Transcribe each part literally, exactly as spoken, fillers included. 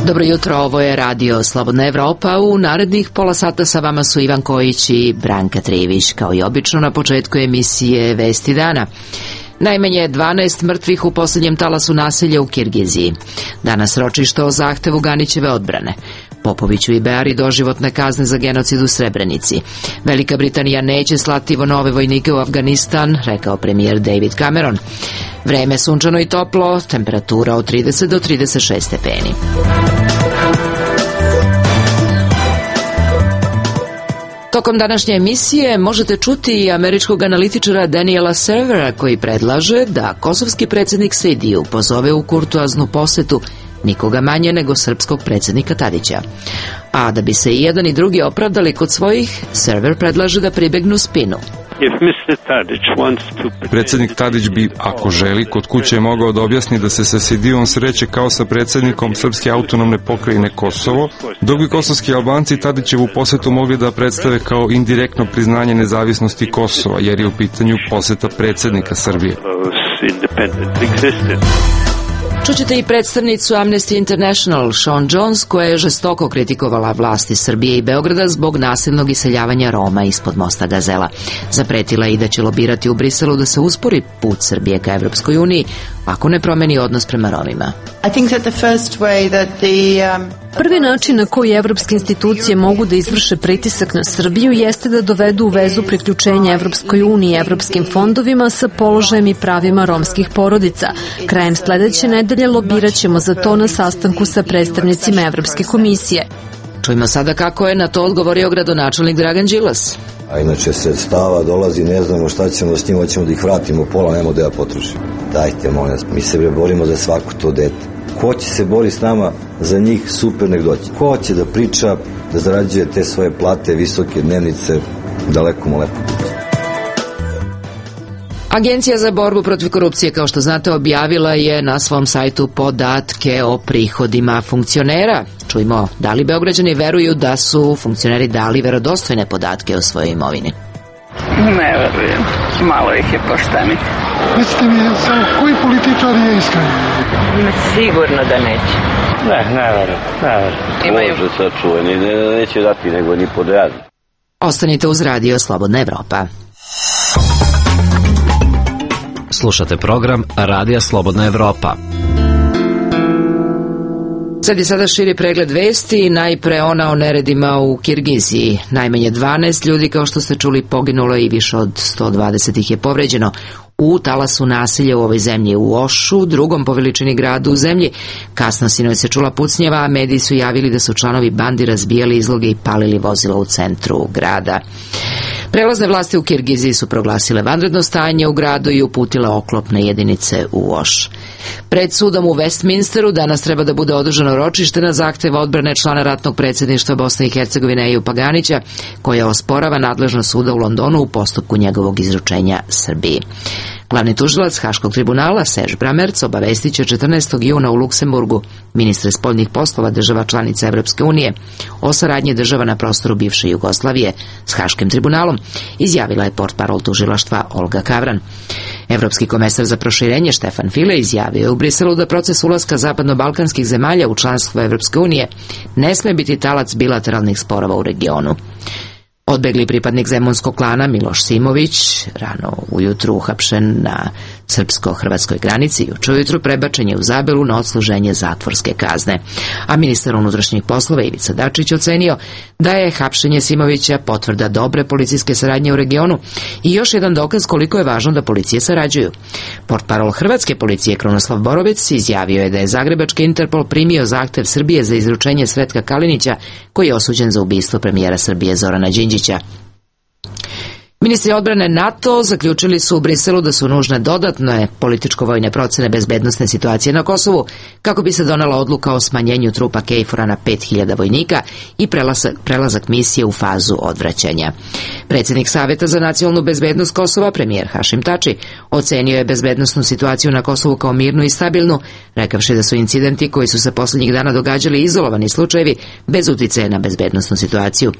Dobro jutro, ovo je Radio Slobodna Evropa. U narednih pola sata sa vama su Ivan Kojić i Branka Trivić. Kao i obično na početku emisije Vesti dana. Najmanje dvanaest mrtvih u posljednjem talasu nasilja u Kirgiziji. Danas ročište o zahtevu Ganićeve odbrane. Popoviću i Beari doživotne kazne za genocid u Srebrenici. Velika Britanija neće slati nove vojnike u Afganistan, rekao premijer David Cameron. Vreme sunčano i toplo, temperatura od trideset do trideset šest stepeni. Tokom današnje emisije možete čuti i američkog analitičara Daniela Servera koji predlaže da kosovski predsjednik Sejdiju pozove u kurtoaznu posetu nikoga manje nego srpskog predsjednika Tadića. A da bi se i jedan i drugi opravdali kod svojih, Server predlaže da pribegnu spinu. Predsjednik Tadić bi, ako želi, kod kuće mogao da objasni da se sa Sejdijom sreće kao sa predsjednikom Srpske autonomne pokrajine Kosovo, dok bi kosovski Albanci Tadićevu posetu mogli da predstave kao indirektno priznanje nezavisnosti Kosova, jer je u pitanju poseta predsjednika Srbije. Čućete i predstavnicu Amnesty International, Sean Jones, koja je žestoko kritikovala vlasti Srbije i Beograda zbog nasilnog iseljavanja Roma ispod mosta Gazela. Zapretila je i da će lobirati u Briselu da se uspori put Srbije ka Evropskoj uniji ako ne promeni odnos prema Romima. Prvi način na koji evropske institucije mogu da izvrše pritisak na Srbiju jeste da dovedu u vezu priključenja Evropskoj uniji i evropskim fondovima sa položajem i pravima romskih porodica. Krajem sledeće nedelje lobirat ćemo za to na sastanku sa predstavnicima Evropske komisije. Čujmo sada kako je na to odgovorio gradonačelnik Dragan Đilas. A inače sredstava dolazi, ne znamo šta ćemo s njima, hoćemo da ih vratimo pola, nemo da ja potrošim. Dajte, molim vas, mi se borimo za svako to dete. Ko će se bori s nama za njih, super, nek doći. Ko će da priča, da zarađuje te svoje plate, visoke dnevnice, daleko mu lepo. Agencija za borbu protiv korupcije, kao što znate, objavila je na svom sajtu podatke o prihodima funkcionera. Čujmo, da li Beograđani veruju da su funkcioneri dali verodostojne podatke o svojoj imovini? Ne verujem, malo ih je pošteni. Recite mi, koji političar je iskren? Sigurno da neće. Ne, ne verujem, ne verujem. Može sačuvani, ne, neće dati nego ni pod rad. Ostanite uz Radio Slobodna Evropa. Slušate program Radija Slobodna Evropa. Sad je sada širi pregled vesti, najpre ona o neredima u Kirgiziji. Najmanje dvanaest ljudi, kao što ste čuli, poginulo i više od sto dvadeset ih je povređeno u talasu nasilja u ovoj zemlji, u Ošu, drugom po veličini gradu u zemlji. Kasno sinoć se čula pucnjeva, a mediji su javili da su članovi bandi razbijali izloge i palili vozila u centru grada. Prelazne vlasti u Kirgiziji su proglasile vanredno stanje u gradu i uputile oklopne jedinice u Oš. Pred sudom u Westminsteru danas treba da bude održano ročište na zahtev odbrane člana ratnog predsjedništva Bosne i Hercegovine Ejupa Ganića, koja osporava nadležnost suda u Londonu u postupku njegovog izručenja Srbiji. Glavni tužilac Haškog tribunala Serž Bramerc obavestit će četrnaestog juna u Luksemburgu ministre spoljnih poslova država članica Evropske unije o saradnji država na prostoru bivše Jugoslavije s Haškim tribunalom, izjavila je portparol tužilaštva Olga Kavran. Evropski komesar za proširenje Štefan File izjavio je u Briselu da proces ulaska zapadno-balkanskih zemalja u članstvo Evropske unije ne sme biti talac bilateralnih sporova u regionu. Odbegli pripadnik zemunskog klana Miloš Simović, rano ujutru uhapšen na srpsko-hrvatskoj granici, juče ujutru prebačen je u Zabelu na odsluženje zatvorske kazne. A ministar unutrašnjih poslova Ivica Dačić ocenio da je hapšenje Simovića potvrda dobre policijske saradnje u regionu i još jedan dokaz koliko je važno da policije sarađuju. Portparol hrvatske policije Krunoslav Borović izjavio je da je zagrebački Interpol primio zahtev Srbije za izručenje Sretka Kalinića, koji je osuđen za ubistvo premijera Srbije Zorana Đinđića. Ministri odbrane NATO zaključili su u Briselu da su nužne dodatne političko-vojne procene bezbednosne situacije na Kosovu kako bi se donela odluka o smanjenju trupa KFOR-a na pet hiljada vojnika i prelazak, prelazak misije u fazu odvraćanja. Predsjednik Saveta za nacionalnu bezbednost Kosova, premijer Hašim Tači, ocenio je bezbednosnu situaciju na Kosovu kao mirnu i stabilnu, rekavši da su incidenti koji su se posljednjih dana događali izolovani slučajevi bez uticaja na bezbednosnu situaciju.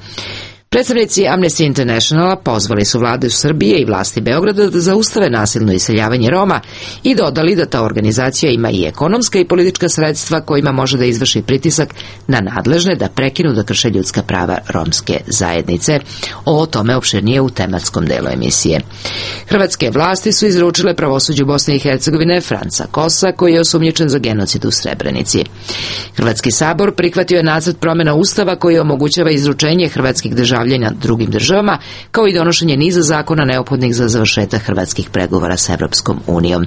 Predstavnici Amnesty Internationala pozvali su vlade Srbije i vlasti Beograda da zaustave nasilno iseljavanje Roma i dodali da ta organizacija ima i ekonomska i politička sredstva kojima može da izvrši pritisak na nadležne da prekinu da krše ljudska prava romske zajednice. O tome opširnije u tematskom delu emisije. Hrvatske vlasti su izručile pravosuđu Bosne i Hercegovine Franca Kosa, koji je osumnjičen za genocid u Srebrenici. Hrvatski sabor prihvatio je nacrt promjena Ustava koji omogućava izručenje hrvatskih državljana drugim državama, kao i donošenje niza zakona neophodnih za završetak hrvatskih pregovora s Evropskom unijom.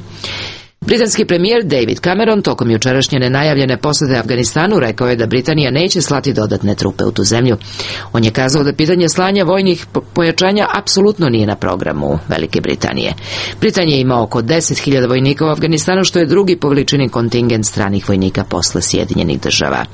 Britanski premijer David Cameron tokom jučerašnje nenajavljene posete Afganistanu rekao je da Britanija neće slati dodatne trupe u tu zemlju. On je kazao da pitanje slanja vojnih pojačanja apsolutno nije na programu Velike Britanije. Britanija ima oko deset hiljada vojnika u Afganistanu, što je drugi po veličini kontingent stranih vojnika posle Sjedinjenih država.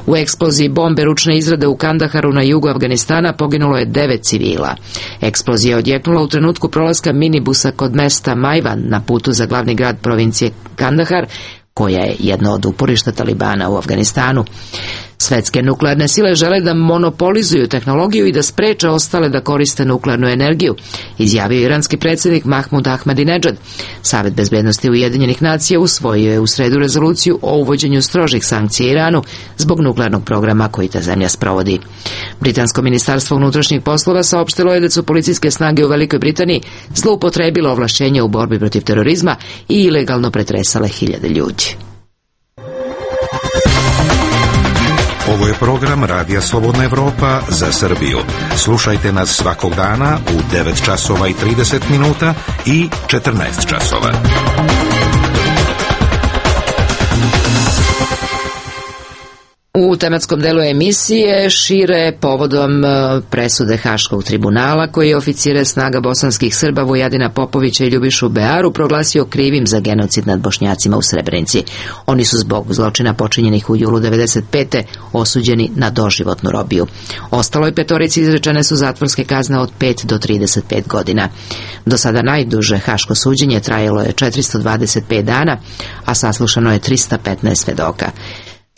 U eksploziji bombe ručne izrade u Kandaharu na jugu Afganistana poginulo je devet civila. Eksplozija je odjeknula u trenutku prolaska minibusa kod mesta Majvan na putu za glavni grad provincije Kandahar, koja je jedno od uporišta Talibana u Afganistanu. Svetske nuklearne sile žele da monopolizuju tehnologiju i da spreče ostale da koriste nuklearnu energiju, izjavio iranski predsjednik Mahmud Ahmadinedžad. Savet bezbednosti Ujedinjenih nacija usvojio je u sredu rezoluciju o uvođenju strožih sankcija Iranu zbog nuklearnog programa koji ta zemlja sprovodi. Britansko ministarstvo unutrašnjih poslova saopštilo je da su policijske snage u Velikoj Britaniji zloupotrebile ovlašćenja u borbi protiv terorizma i ilegalno pretresale hiljade ljudi. Ovo je program Radija Slobodna Evropa za Srbiju. Slušajte nas svakog dana u devet časova i trideset minuta i četrnaest časova. U tematskom delu emisije šire povodom presude Haškog tribunala, koji je oficire snaga bosanskih Srba Vujadina Popovića i Ljubišu Bearu proglasio krivim za genocid nad Bošnjacima u Srebrenici. Oni su zbog zločina počinjenih u julu devedeset pete osuđeni na doživotnu robiju. Ostaloj petorici izrečene su zatvorske kazne od pet do trideset pet godina. Do sada najduže haško suđenje trajalo je četiristo dvadeset pet dana, a saslušano je trista petnaest svedoka.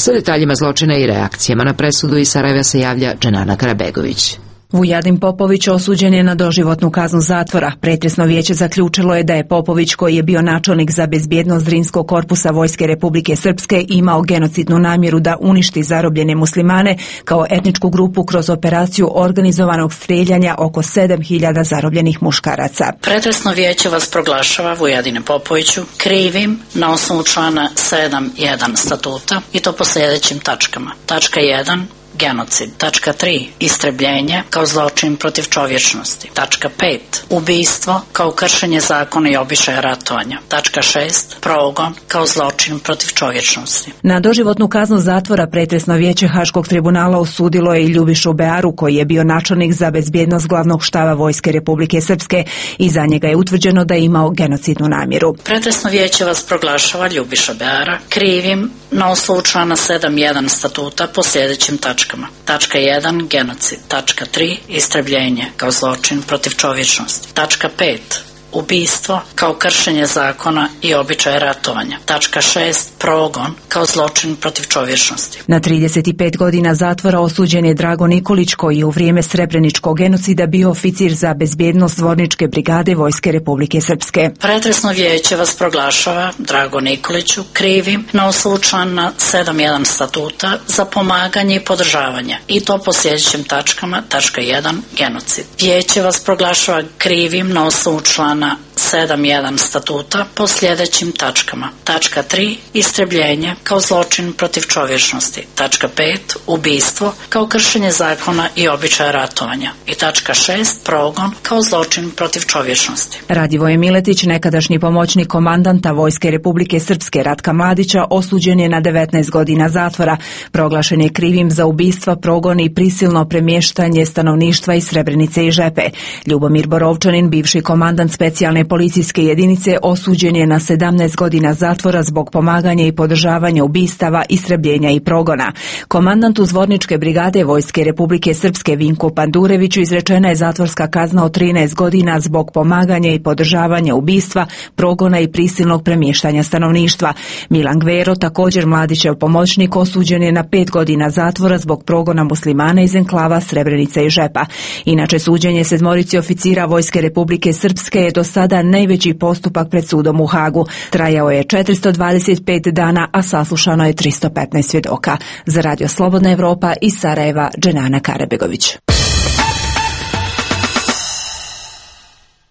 Sa detaljima zločina i reakcijama na presudu iz Sarajeva se javlja Dženana Karabegović. Vujadin Popović osuđen je na doživotnu kaznu zatvora. Pretresno vijeće zaključilo je da je Popović, koji je bio načelnik za bezbjednost Drinskog korpusa Vojske Republike Srpske, imao genocidnu namjeru da uništi zarobljene muslimane kao etničku grupu kroz operaciju organizovanog strijeljanja oko sedam hiljada zarobljenih muškaraca. Pretresno vijeće vas proglašava, Vujadine Popoviću, krivim na osnovu člana sedam jedan statuta, i to po sljedećim tačkama. Tačka jedan. Genocid. Tačka tri. Istrebljenje kao zločin protiv čovječnosti. Tačka pet. Ubijstvo kao kršenje zakona i običaja ratovanja. Tačka šest. Progon kao zločin protiv čovječnosti. Na doživotnu kaznu zatvora pretresno vijeće Haškog tribunala osudilo je i Ljubišu Bearu, koji je bio načelnik za bezbjednost glavnog štaba Vojske Republike Srpske, i za njega je utvrđeno da je imao genocidnu namjeru. Pretresno vijeće vas proglašava, Ljubiša Beara, krivim na osnovu člana sedam jedan statuta po sljedećim tačkama. Tačka jedan. Genocid. Tačka tri. Istrebljenje kao zločin protiv čovječnosti. Tačka pet. Ubijstvo kao kršenje zakona i običaja ratovanja. Tačka šest. Progon kao zločin protiv čovječnosti. Na trideset pet godina zatvora osuđen je Drago Nikolić, koji je u vrijeme Srebreničkog genocida bio oficir za bezbjednost Zvorničke brigade Vojske Republike Srpske. Pretresno vijeće vas proglašava, Drago Nikoliću, krivim na osnovu člana sedam jedan statuta za pomaganje i podržavanje, i to po sljedećim tačkama. Tačka jedan. Genocid. Vijeće vas proglašava krivim na osnovu člana sedam jedan statuta po sljedećim tačkama. Tačka tri. Istrebljenje kao zločin protiv čovječnosti. Tačka pet. Ubijstvo kao kršenje zakona i običaja ratovanja. I tačka šest. Progon kao zločin protiv čovječnosti. Radivoje Miletić, nekadašnji pomoćnik komandanta Vojske Republike Srpske Ratka Mladića, osuđen je na devetnaest godina zatvora. Proglašen je krivim za ubistva, progon i prisilno premještanje stanovništva iz Srebrenice i Žepe. Ljubomir Borovčanin, bivši komandant specijalne specijalne policijske jedinice osuđen je na sedamnaest godina zatvora zbog pomaganja i podržavanja ubistava, istrebljenja i progona. Komandantu Zvorničke brigade Vojske Republike Srpske Vinku Pandureviću izrečena je zatvorska kazna od trinaest godina zbog pomaganja i podržavanja ubistva, progona i prisilnog premještanja stanovništva. Milan Gvero, također Mladićev pomoćnik, osuđen je na pet godina zatvora zbog progona muslimana iz enklava Srebrenica i Žepa. Inače, suđenje sedmorici oficira Vojske Republike Srpske je do sada najveći postupak pred sudom u Hagu. Trajao je četiristo dvadeset pet dana, a saslušano je tristo petnaest svjedoka. Za Radio Slobodna Evropa iz Sarajeva, Dženana Karabegović.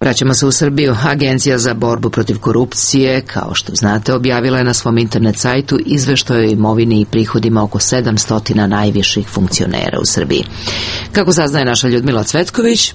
Vraćamo se u Srbiju. Agencija za borbu protiv korupcije, kao što znate, objavila je na svom internet sajtu izveštaj o imovini i prihodima oko sedamsto najviših funkcionera u Srbiji. Kako saznaje naša Ljudmila Cvetković,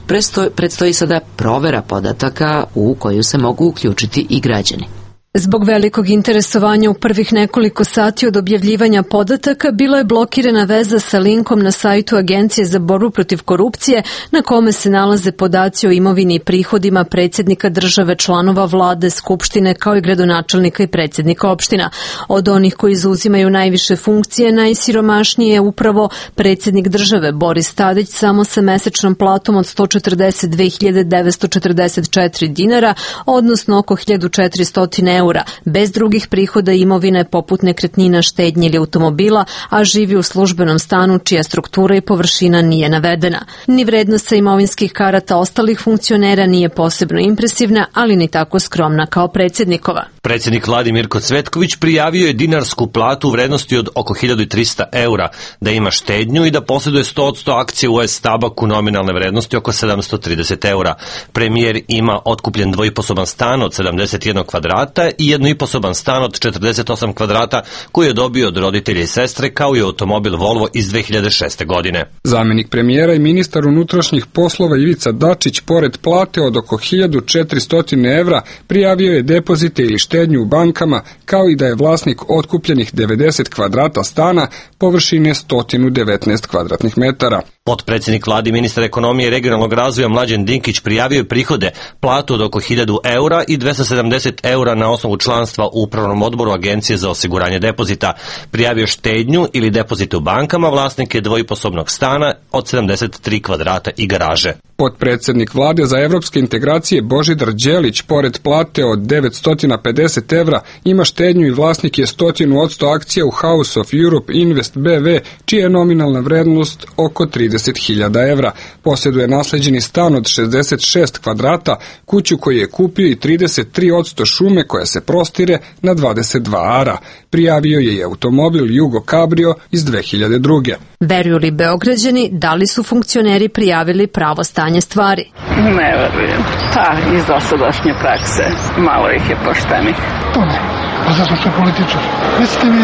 predstoji sada provera podataka u koju se mogu uključiti i građani. Zbog velikog interesovanja u prvih nekoliko sati od objavljivanja podataka bila je blokirana veza sa linkom na sajtu Agencije za borbu protiv korupcije na kome se nalaze podaci o imovini i prihodima predsjednika države, članova vlade, skupštine kao i gradonačelnika i predsjednika opština. Od onih koji zauzimaju najviše funkcije, najsiromašniji je upravo predsjednik države Boris Tadić, samo sa mesečnom platom od sto četrdeset dve hiljade devetsto četrdeset četiri dinara, odnosno oko hiljadu četiristo eura, bez drugih prihoda i imovine poput nekretnina, štednje ili automobila, a živi u službenom stanu čija struktura i površina nije navedena. Ni vrednost sa imovinskih karata ostalih funkcionera nije posebno impresivna, ali ni tako skromna kao predsjednikova. Predsjednik vlade Mirko Cvetković prijavio je dinarsku platu u vrednosti od oko hiljadu trista eura, da ima štednju i da posjeduje sto posto akcije u S Tabaku nominalne vrednosti oko sedamsto trideset eura. Premijer ima otkupljen dvoiposoban stan od sedamdeset jedan kvadrata i jednoiposoban stan od četrdeset osam kvadrata koji je dobio od roditelja i sestre, kao i automobil Volvo iz dve hiljade šeste. godine. Zamjenik premijera i ministar unutrašnjih poslova Ivica Dačić, pored plate od oko hiljadu četiristo evra, prijavio je depozite ili štednju u bankama, kao i da je vlasnik otkupljenih devedeset kvadrata stana površine sto devetnaest kvadratnih metara. Potpredsjednik vlade i ministar ekonomije i regionalnog razvoja Mlađan Dinkić prijavio je prihode, platu od oko hiljadu eura i dvesta sedamdeset eura na osnovu članstva u upravnom odboru Agencije za osiguranje depozita. Prijavio štednju ili depozite u bankama, vlasnik je dvoiposobnog stana od sedamdeset tri kvadrata i garaže. Potpredsjednik vlade za evropske integracije Božidar Đelić, pored plate od devetsto pedeset evra, ima štednju i vlasnik je sto posto akcija u House of Europe Invest B V, čija je nominalna vrednost oko trideset hiljada evra. Posjeduje nasleđeni stan od šezdeset šest kvadrata, kuću koju je kupio i trideset tri posto šume koja se prostire na dvadeset dva ara. Prijavio je i automobil Jugo Cabrio iz dve hiljade druge. Veruju li Beograđani da li su funkcioneri prijavili pravo stanje stvari? Ne verujem. Pa, iz dosadašnje prakse malo ih je poštenih. To ne. Pa zato što je političar. Mislite mi,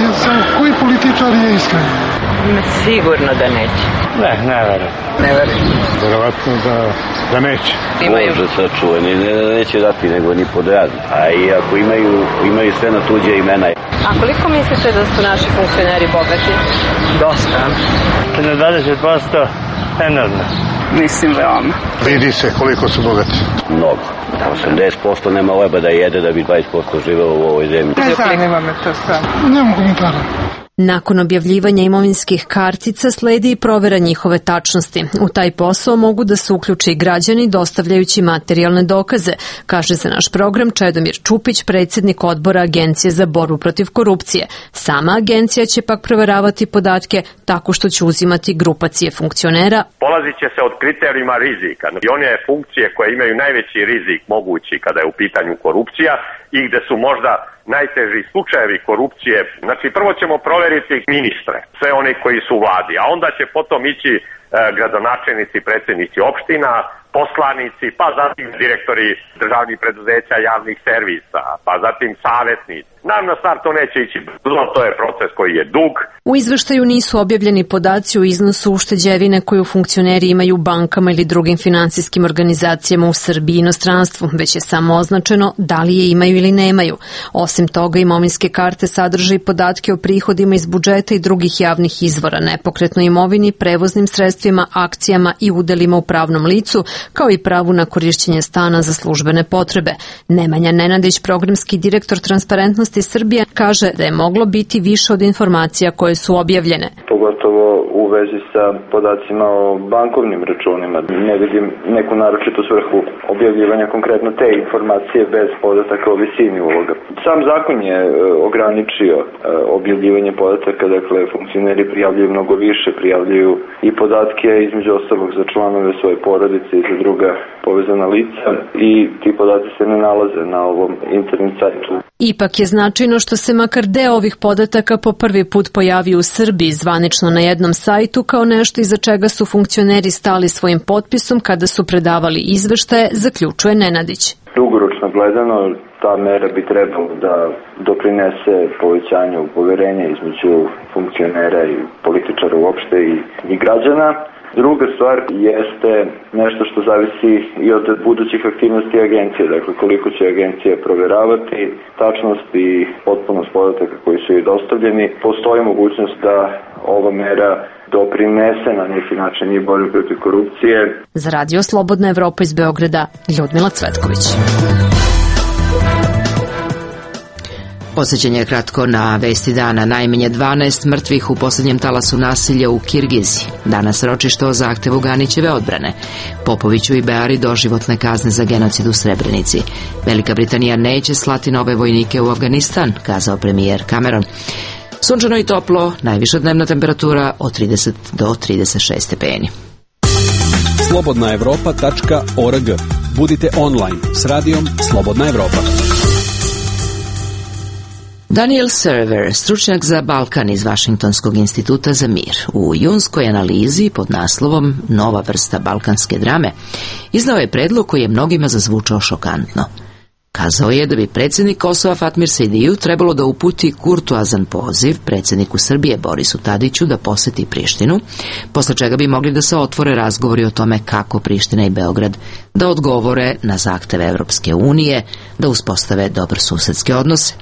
koji političar je iskren? Sigurno da neće. Ne, ne verujem. Ne verujem. Verovatno da, da neće. Imaju. Može sačuvani, ne, neće dati nego ni pod razno. A i ako imaju, imaju sve na tuđe imena. A koliko mislite da su naši funkcioneri bogati? Dosta. Na dvadeset posto enormno. Mislim veoma. Vidi se koliko su bogati. Mnogo. Da osamdeset posto nema leba da jede da bi dvadeset posto živelo u ovoj zemlji. Ne zanima me to sve. Nemam komentara. Nakon objavljivanja imovinskih kartica sledi i provera njihove tačnosti. U taj posao mogu da se uključe i građani dostavljajući materijalne dokaze, kaže za naš program Čedomir Čupić, predsjednik odbora Agencije za borbu protiv korupcije. Sama agencija će pak proveravati podatke tako što će uzimati grupacije funkcionera. Polazit će se od kriterijuma rizika i one funkcije koje imaju najveći rizik mogući kada je u pitanju korupcija i gde su možda najteži slučajevi korupcije. Znači, prvo ćemo proveriti ministre, sve oni koji su u vladi, a onda će potom ići e, gradonačelnici, predsjednici opština, poslanici, pa zatim direktori državnih preduzeća, javnih servisa, pa zatim savjetnici. Nam na start to neće ići brzo, to je proces koji je dug. U izveštaju nisu objavljeni podaci o iznosu ušteđevine koju funkcioneri imaju u bankama ili drugim finansijskim organizacijama u Srbiji i inostranstvu, već je samo označeno da li je imaju ili nemaju. Osim toga, imovinske karte sadrže i podatke o prihodima iz budžeta i drugih javnih izvora, nepokretnoj imovini, prevoznim sredstvima, akcijama i udelima u pravnom licu, kao i pravu na korišćenje stana za službene potrebe. Nemanja Nenadić, programski direktor Transparentnosti Srbije, kaže da je moglo biti više od informacija koje su objavljene. Pogotovo u vezi sa podacima o bankovnim računima. Ne vidim neku naročitu svrhu objavljivanja konkretno te informacije bez podataka o visini uloga. Sam zakon je ograničio objavljivanje podataka, dakle funkcioneri prijavljuju mnogo više, prijavljuju i podatke između ostalog za članove svoje porodice i za druga povezana lica i ti podaci se ne nalaze na ovom internet sajtu. Ipak je značajno što se makar deo ovih podataka po prvi put pojavio u Srbiji zvanično na jednom sajtu kao nešto iza čega su funkcioneri stali svojim potpisom kada su predavali izveštaje, zaključuje Nenadić. Dugoročno gledano, ta mera bi trebalo da doprinese povećanju poverenja između funkcionera i političara uopšte i, i građana. Druga stvar jeste nešto što zavisi i od budućih aktivnosti agencije, dakle koliko će agencija proveravati tačnost i potpunost podataka koji su joj dostavljeni. Postoji mogućnost da ova mera doprinese na neki način i borbu protiv korupcije. Za Radio Slobodna Evropa iz Beograda, Ljudmila Cvetković. Podsjećanje kratko na vesti dana. Najmanje dvanaest mrtvih u posljednjem talasu nasilja u Kirgiziji. Danas ročište o zahtevu Ganićeve odbrane. Popoviću i Beari doživotne kazne za genocid u Srebrenici. Velika Britanija neće slati nove vojnike u Afganistan, kazao premijer Cameron. Sunčano i toplo, najviša dnevna temperatura od trideset do trideset šest stepeni. slobodna evropa tačka org. Budite online s radijom Slobodna Evropa. Daniel Server, stručnjak za Balkan iz Vašingtonskog instituta za mir, u junskoj analizi pod naslovom Nova vrsta balkanske drame, iznao je predlog koji je mnogima zazvučao šokantno. Kazao je da bi predsjednik Kosova Fatmir Sejdiju trebalo da uputi kurtoazan poziv predsjedniku Srbije Borisu Tadiću da poseti Prištinu, posle čega bi mogli da se otvore razgovori o tome kako Priština i Beograd da odgovore na zahteve Evropske unije, da uspostave dobrosusedske odnose.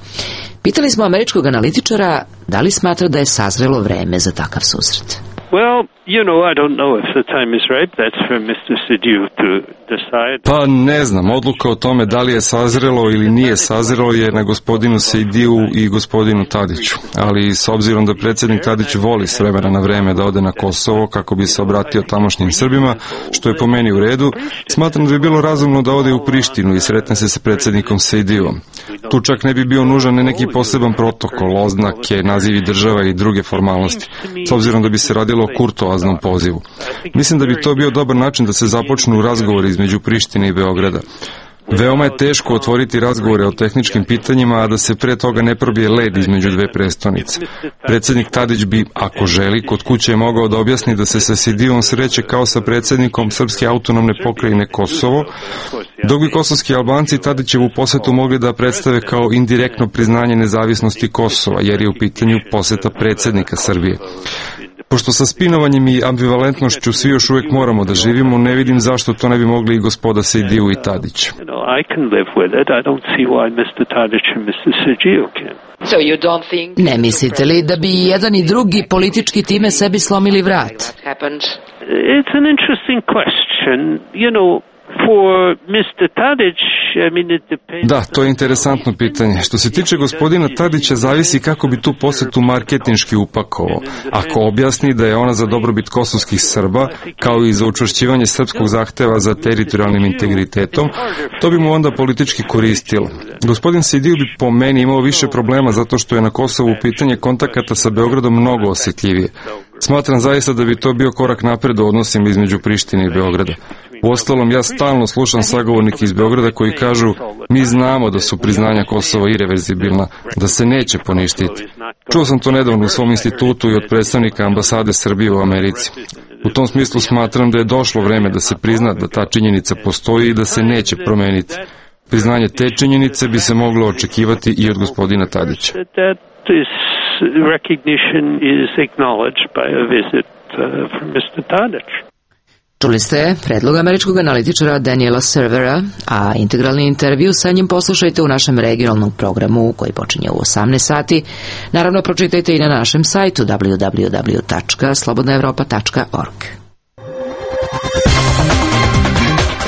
Pitali smo američkog analitičara da li smatra da je sazrelo vreme za takav susret. Well, you know, I don't know if the time is ripe. That's for mister Sediu to decide. Pa ne znam, odluka o tome da li je sazrelo ili nije sazrelo je na gospodinu Sediu i gospodinu Tadiću. Ali s obzirom da predsjednik Tadić voli s vremena na vreme da ode na Kosovo kako bi se obratio tamošnjim Srbima, što je po meni u redu, smatram da bi bilo razumno da ode u Prištinu i sretne se sa predsjednikom Sediuom. Tu čak ne bi bio nužan neki poseban protokol, oznake, nazivi država i druge formalnosti, s obzirom da bi se radilo o kurtoaznom pozivu. Mislim da bi to bio dobar način da se započnu razgovori između Prištine i Beograda. Veoma je teško otvoriti razgovore o tehničkim pitanjima, a da se pre toga ne probije led između dve prestonice. Predsjednik Tadić bi, ako želi, kod kuće mogao da objasni da se sa Sedijom sreće kao sa predsjednikom Srpske autonomne pokrajine Kosovo, dok bi kosovski Albanci Tadićevu posetu mogli da predstave kao indirektno priznanje nezavisnosti Kosova, jer je u pitanju poseta predsjednika Srbije. Pošto sa spinovanjem i ambivalentnošću svi još uvijek moramo da živimo, ne vidim zašto to ne bi mogli i gospoda Sediju i Tadić. Ne mislite li da bi jedan i drugi politički time sebi slomili vrat? It's an interesting question. You know, for mister Tadić, I mean, it depends. Da, to je interesantno pitanje. Što se tiče gospodina Tadića, zavisi kako bi tu posetu marketinški upakovao. Ako objasni da je ona za dobrobit kosovskih Srba, kao i za učvršćivanje srpskog zahteva za teritorijalnim integritetom, to bi mu onda politički koristilo. Gospodin Sediju bi po meni imao više problema zato što je na Kosovu pitanje kontakata sa Beogradom mnogo osjetljivije. Smatram zaista da bi to bio korak napred u odnosima između Prištine i Beograda. Uostalom, ja stalno slušam sagovornike iz Beograda koji kažu mi znamo da su priznanja Kosova irreverzibilna, da se neće poništiti. Čuo sam to nedavno u svom institutu i od predstavnika ambasade Srbije u Americi. U tom smislu smatram da je došlo vreme da se prizna da ta činjenica postoji i da se neće promeniti. Priznanje te činjenice bi se moglo očekivati i od gospodina Tadića. Čuli ste predlog američkog analitičara Daniela Servera, a integralni intervju sa njim poslušajte u našem regionalnom programu koji počinje u osamnaest sati. Naravno, pročitajte i na našem sajtu w w w tačka slobodna evropa tačka org.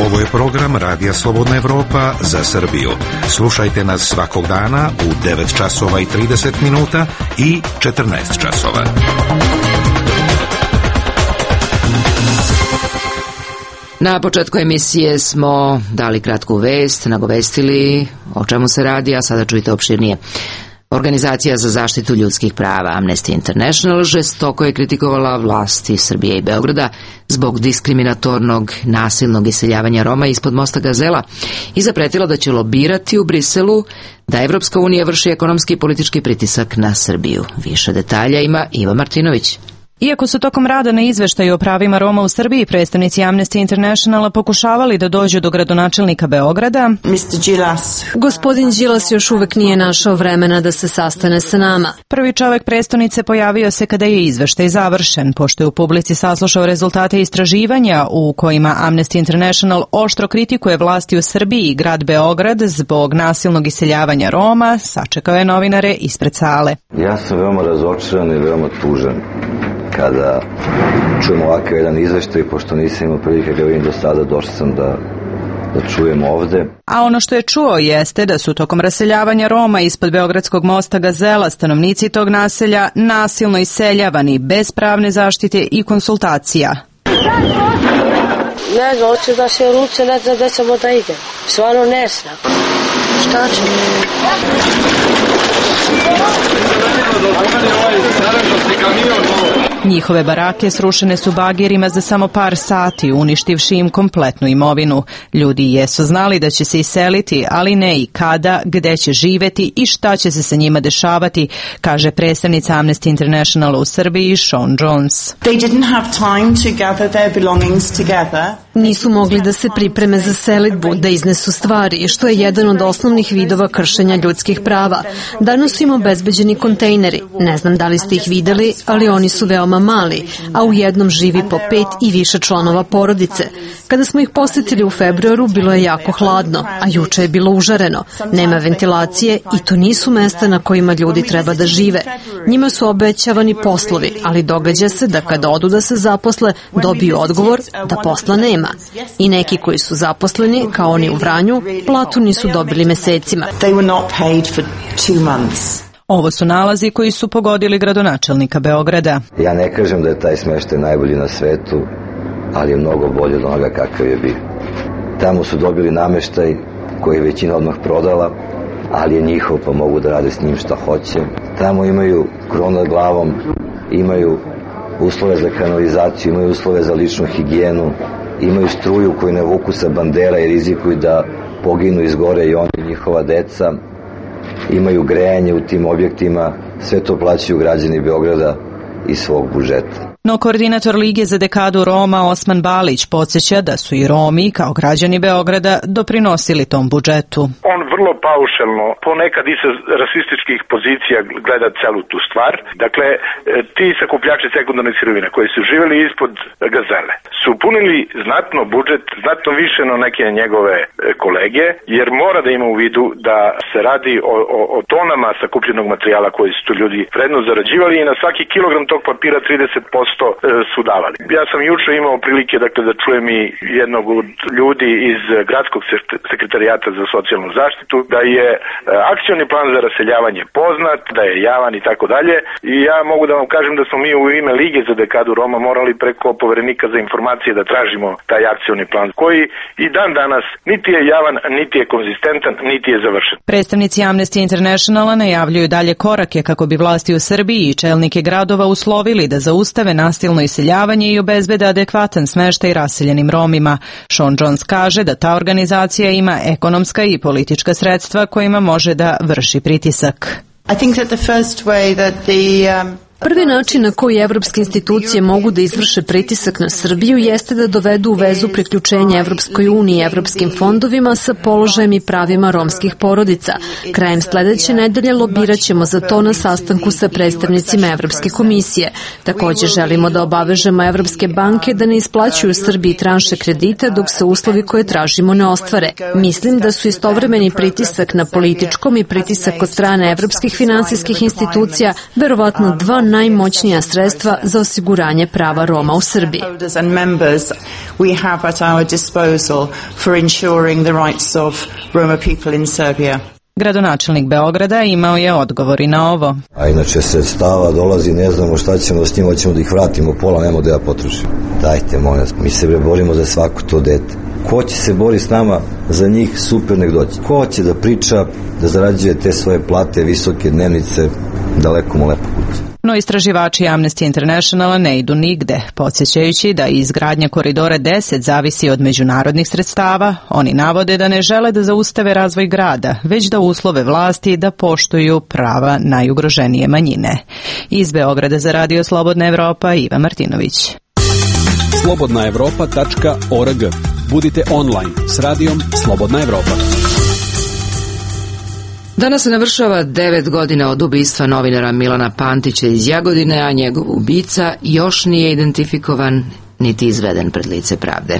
Ovo je program Radija Slobodna Evropa za Srbiju. Slušajte nas svakog dana u devet časova i trideset minuta i četrnaest časova. Na početku emisije smo dali kratku vest, nagovestili o čemu se radi, a sada čujte opširnije. Organizacija za zaštitu ljudskih prava Amnesty International žestoko je kritikovala vlasti Srbije i Beograda zbog diskriminatornog, nasilnog iseljavanja Roma ispod mosta Gazela i zapretila da će lobirati u Briselu da Evropska unija vrši ekonomski i politički pritisak na Srbiju. Više detalja ima Iva Martinović. Iako su tokom rada na izveštaju o pravima Roma u Srbiji predstavnici Amnesty Internationala pokušavali da dođu do gradonačelnika Beograda, gospodin Đilas još uvek nije našao vremena da se sastane sa nama. Prvi čovek prestonice pojavio se kada je izveštaj završen, pošto je u publici saslušao rezultate istraživanja u kojima Amnesty International oštro kritikuje vlasti u Srbiji i grad Beograd zbog nasilnog iseljavanja Roma, sačekao je novinare ispred sale. Ja sam veoma razočaran i veoma tužan kada čujem ovakav jedan izveštaj, pošto nisam imao prilike ga vidim do sada, došao sam da, da čujem ovde. A ono što je čuo jeste da su tokom raseljavanja Roma ispod Beogradskog mosta Gazela stanovnici tog naselja nasilno iseljavani, bez pravne zaštite i konsultacija. Ne znam, hoće da se ruče, ne znam da ćemo da idem. Stvarno ne znam. Šta će? Njihove barake srušene su bagirima za samo par sati, uništivši im kompletnu imovinu. Ljudi jesu znali da će se iseliti, ali ne i kada, gde će živeti i šta će se sa njima dešavati, kaže predstavnica Amnesty International u Srbiji Sean Jones. Nisu mogli da se pripreme za selidbu, da iznesu stvari, što je jedan od osnovnih vidova kršenja ljudskih prava. Danas su im obezbeđeni kontejneri. Ne znam da li ste ih videli, ali oni su veoma mali, a u jednom živi po pet i više članova porodice. Kada smo ih posetili u februaru, bilo je jako hladno, a juče je bilo užareno. Nema ventilacije i to nisu mesta na kojima ljudi treba da žive. Njima su obećavani poslovi, ali događa se da kada odu da se zaposle, dobiju odgovor da posla nema. I neki koji su zaposleni, kao oni u Vranju, platu nisu dobili mesecima. Ovo su nalazi koji su pogodili gradonačelnika Beograda. Ja ne kažem da je taj smeštaj najbolji na svetu, ali je mnogo bolje od onoga kakav je bio. Tamo su dobili nameštaj koji je većina odmah prodala, ali je njihov pa mogu da rade s njim šta hoće. Tamo imaju kronu nad glavom, imaju uslove za kanalizaciju, imaju uslove za ličnu higijenu, imaju struju koju ne vuku sa bandera i rizikuju da poginu izgore i oni i njihova deca. Imaju grejanje u tim objektima, sve to plaćaju građani Beograda iz svog budžeta. No koordinator Lige za dekadu Roma Osman Balić podsjeća da su i Romi, kao građani Beograda, doprinosili tom budžetu. On vrlo paušalno, ponekad i sa rasističkih pozicija gleda celu tu stvar. Dakle, ti sakupljači sekundarnih sirovina koji su živjeli ispod Gazele su punili znatno budžet, znatno više na neke njegove kolege, jer mora da ima u vidu da se radi o, o, o tonama sakupljenog materijala koji su tu ljudi vredno zarađivali i na svaki kilogram tog papira trideset posto su davali. Ja sam juče imao prilike dakle, da čujem i jednog od ljudi iz gradskog sekretarijata za socijalnu zaštitu, da je akcioni plan za raseljavanje poznat, da je javan i tako dalje. I ja mogu da vam kažem da smo mi u ime Lige za dekadu Roma morali preko poverenika za informacije da tražimo taj akcioni plan, koji i dan danas niti je javan, niti je konzistentan, niti je završen. Predstavnici Amnesty Internationala najavljuju dalje korake kako bi vlasti u Srbiji i čelnike gradova uslovili da zaustave nasilno iseljavanje i obezbede adekvatan smeštaj raseljenim Romima. Sean Jones kaže da ta organizacija ima ekonomska i politička sredstva kojima može da vrši pritisak. I think that the first way that the um... Prvi način na koji evropske institucije mogu da izvrše pritisak na Srbiju jeste da dovedu u vezu priključenja Evropskoj uniji i evropskim fondovima sa položajem i pravima romskih porodica. Krajem sledeće nedelje lobiraćemo za to na sastanku sa predstavnicima Evropske komisije. Takođe želimo da obavežemo evropske banke da ne isplaćuju Srbiji tranše kredita dok se uslovi koje tražimo ne ostvare. Mislim da su istovremeni pritisak na političkom i pritisak od strane evropskih finansijskih institucija verovatno dva najmoćnija sredstva za osiguranje prava Roma u Srbiji. We have at our disposal for ensuring the rights of Roma people in Serbia. Gradonačelnik Beograda imao je odgovor i na ovo. A inače sredstava dolazi, ne znamo šta ćemo s njima, hoćemo da ih vratimo, pola nemo da ja potrošim. Dajte, molim vas, mi se bre borimo za svako to dete. Ko će se bori s nama za njih, super nek doći. Ko će da priča, da zarađuje te svoje plate, visoke dnevnice, daleko mu lepo kuće. No istraživači Amnesty Internationala ne idu nigde, podsjećajući da izgradnja koridora deset zavisi od međunarodnih sredstava. Oni navode da ne žele da zaustave razvoj grada, već da uslove vlasti da poštuju prava najugroženije manjine. Iz Beograda za Radio Slobodna Evropa, Iva Martinović. slobodna evropa tačka org. Budite online s radijom Slobodna Evropa. Danas se navršava devet godina od ubistva novinara Milana Pantića iz Jagodine, a njegov ubica još nije identifikovan niti izveden pred lice pravde.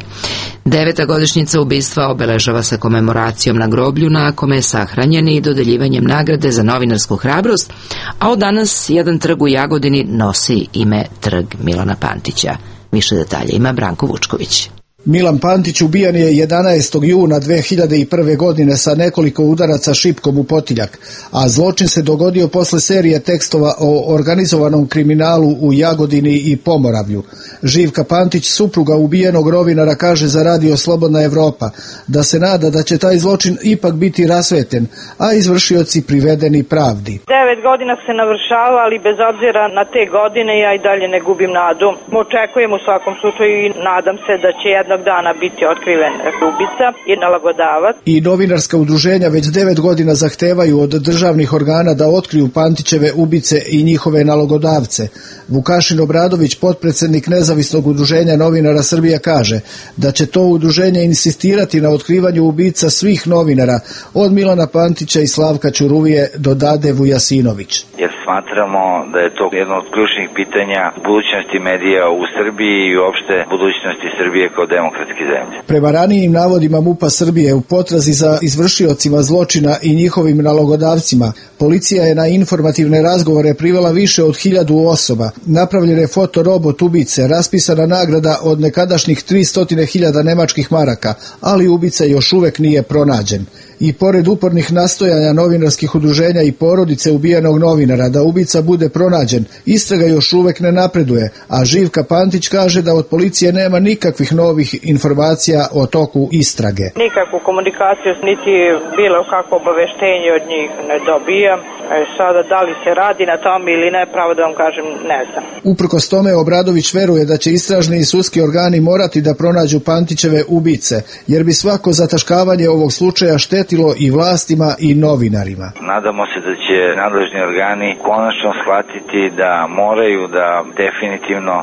Deveta godišnjica ubistva obeležava se komemoracijom na groblju na kome je sahranjen i dodeljivanjem nagrade za novinarsku hrabrost, a od danas jedan trg u Jagodini nosi ime Trg Milana Pantića. Više detalja ima Branko Vučković. Milan Pantić ubijan je jedanaestog juna dve hiljade prve. godine sa nekoliko udaraca šipkom u potiljak, a zločin se dogodio posle serije tekstova o organizovanom kriminalu u Jagodini i Pomoravlju. Živka Pantić, supruga ubijenog novinara, kaže za Radio Slobodna Evropa da se nada da će taj zločin ipak biti rasveten, a izvršioci privedeni pravdi. Devet godina se navršava, ali bez obzira na te godine ja i dalje ne gubim nadu. Očekujem u svakom slučaju i nadam se da će jednog dana biti otkriven ubica i nalogodavac. I novinarska udruženja već devet godina zahtevaju od državnih organa da otkriju Pantićeve ubice i njihove nalogodavce. Vukašin Obradović, potpredsednik Nezavisnog udruženja novinara Srbija, kaže da će to udruženje insistirati na otkrivanju ubica svih novinara, od Milana Pantića i Slavka Ćuruvije do Dade Vujasinović. Jer smatramo da je to jedno od ključnih pitanja budućnosti medija u Srbiji i uopšte budućnosti Srbije kao demokratske zemlje. Prema ranijim navodima MUP-a Srbije u potrazi za izvršiocima zločina i njihovim nalogodavcima, policija je na informativne razgovore privela više od hiljadu osoba. Napravljen je fotorobot ubice, raspisana nagrada od nekadašnjih tristo hiljada nemačkih maraka, ali ubica još uvek nije pronađen. I pored upornih nastojanja novinarskih udruženja i porodice ubijenog novinara da ubica bude pronađen, istraga još uvek ne napreduje, a Živka Pantić kaže da od policije nema nikakvih novih informacija o toku istrage. Nikakvu komunikaciju niti bilo kakvo obaveštenje od njih ne dobijam. E, sada da li se radi na tom ili ne, pravo da vam kažem, ne znam. Uprkos tome Obradović veruje da će istražni i sudski organi morati da pronađu Pantićeve ubice, jer bi svako zataškavanje ovog slučaja štetilo i vlastima i novinarima. Nadamo se da će nadležni organi konačno shvatiti da moraju da definitivno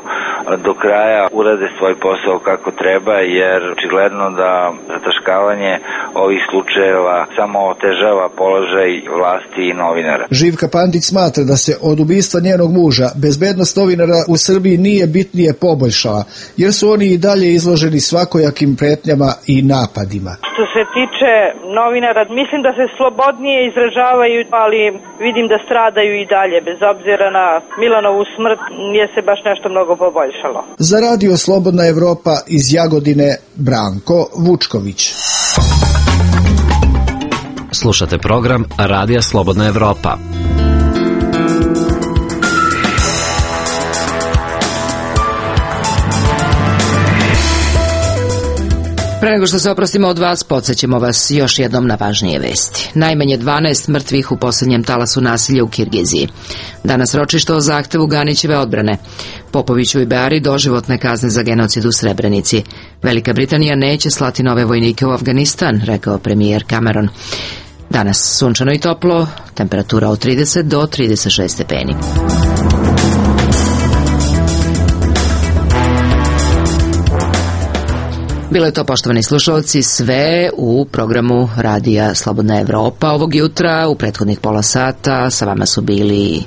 do kraja urade svoj posao kako treba, jer očigledno da zataškavanje ovih slučajeva samo otežava položaj vlasti i novinara. Živka Pantić smatra da se od ubistva njenog muža bezbednost novinara u Srbiji nije bitnije poboljšala, jer su oni i dalje izloženi svakojakim pretnjama i napadima. Što se tiče novinara, mislim da se slobodnije izražavaju, ali vidim da stradaju i dalje, bez obzira na Milanovu smrt, nije se baš nešto mnogo poboljšalo. Za Radio Slobodna Evropa iz Jagodine, Branko Vučković. Slušate program Radija Slobodna Evropa. Pre nego što se oprostimo od vas, podsjećamo vas još jednom na važnije vesti. Najmanje dvanaest mrtvih u posljednjem talasu nasilja u Kirgiziji. Danas ročište o zahtevu Ganićeve odbrane. Popoviću i Beari doživotne kazne za genocid u Srebrenici. Velika Britanija neće slati nove vojnike u Afganistan, rekao premijer Cameron. Danas sunčano i toplo, temperatura od trideset do trideset šest stepeni. Bilo je to, poštovani slušalci, sve u programu Radija Slobodna Evropa ovog jutra. U prethodnih pola sata sa vama su bili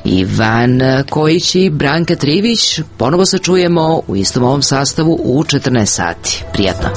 Ivan Kojić i Branka Trivić. Ponovo se čujemo u istom ovom sastavu u četrnaest sati. Prijatno.